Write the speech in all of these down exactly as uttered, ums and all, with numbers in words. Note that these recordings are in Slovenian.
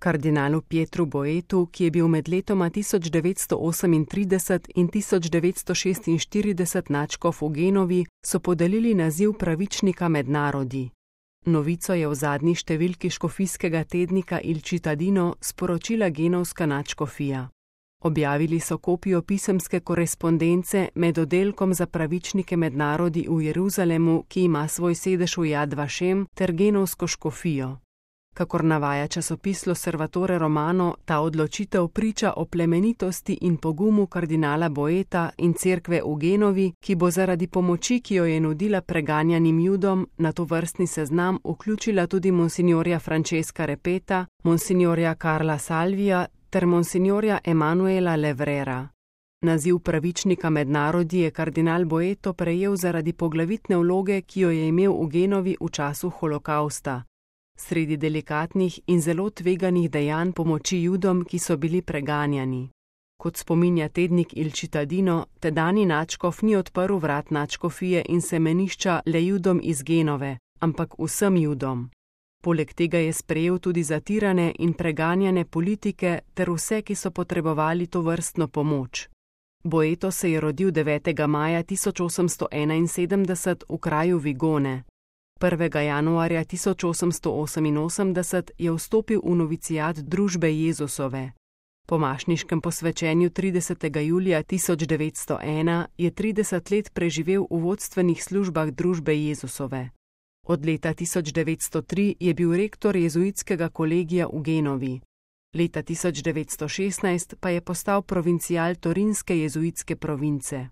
Kardinalu Pietru Boetu, ki je bil med letoma tisoč devetsto osemintrideset in tisoč devetsto šestinštirideset nadškof v Genovi, so podelili naziv pravičnika med narodi. Novico je v zadnji številki škofijskega tednika Il Cittadino sporočila genovska nadškofija. Objavili so kopijo pisemske korespondence med oddelkom za pravičnike med narodi v Jeruzalemu, ki ima svoj sedež v Yad Vashem, ter genovsko škofijo. Kakor navaja časopis L'Osservatore Romano, ta odločitev priča o plemenitosti in pogumu kardinala Boeta in cerkve v Genovi, ki bo zaradi pomoči, ki jo je nudila preganjanim Judom, na to vrstni seznam vključila tudi monsignorja Francesca Repeta, monsignorja Karla Salvija ter monsignorja Emanuela Levrera. Naziv pravičnika med narodi je kardinal Boeto prejel zaradi poglavitne vloge, ki jo je imel v Genovi v času holokausta. Sredi delikatnih in zelo tveganih dejanj pomoči Judom, ki so bili preganjani. Kot spominja tednik Il Cittadino, tedajni nadškof ni odprl vrat nadškofije in semenišča le Judom iz Genove, ampak vsem Judom. Poleg tega je sprejel tudi zatirane in preganjane politike ter vse, ki so potrebovali to vrstno pomoč. Boeto se je rodil devetega maja tisoč osemsto enainsedemdeset v kraju Vigone. prvega januarja tisoč osemsto oseminosemdeset je vstopil v novicijat družbe Jezusove. Po mašniškem posvečenju tridesetega julija tisoč devetsto ena je trideset let preživel v vodstvenih službah družbe Jezusove. Od leta tisoč devetsto tri je bil rektor jezuitskega kolegija v Genovi. Leta tisoč devetsto šestnajst pa je postal provincial Torinske jezuitske province.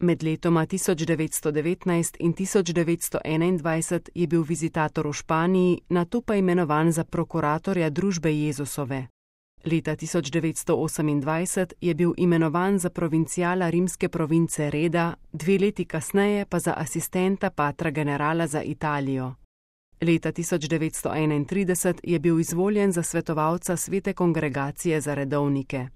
Med letoma tisoč devetsto devetnajst in tisoč devetsto enaindvajset je bil vizitator v Španiji, nato pa imenovan za prokuratorja družbe Jezusove. Leta tisoč devetsto osemindvajset je bil imenovan za provinciala rimske province Reda, dve leti kasneje pa za asistenta patra generala za Italijo. Leta tisoč devetsto enaintrideset je bil izvoljen za svetovalca Svete kongregacije za redovnike.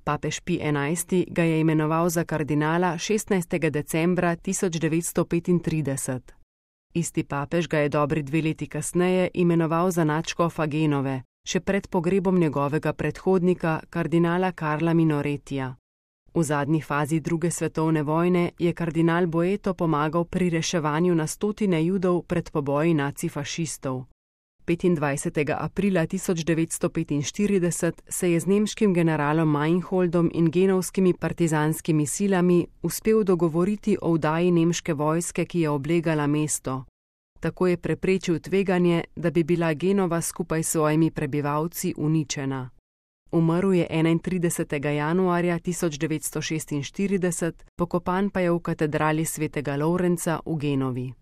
Papež Pij enajsti ga je imenoval za kardinala šestnajstega decembra tisoč devetsto petintrideset. Isti papež ga je dobri dve leti kasneje imenoval za nadškofa Genove, še pred pogrebom njegovega predhodnika, kardinala Karla Minoretija. V zadnji fazi druge svetovne vojne je kardinal Boeto pomagal pri reševanju na stotine Judov pred poboji nacifašistov. petindvajsetega aprila tisoč devetsto petinštirideset se je z nemškim generalom Meinholdom in genovskimi partizanskimi silami uspel dogovoriti o vdaji nemške vojske, ki je oblegala mesto. Tako je preprečil tveganje, da bi bila Genova skupaj s svojimi prebivalci uničena. Umrl je enaintridesetega januarja tisoč devetsto šestinštirideset, pokopan pa je v katedrali svetega Lovrenca v Genovi.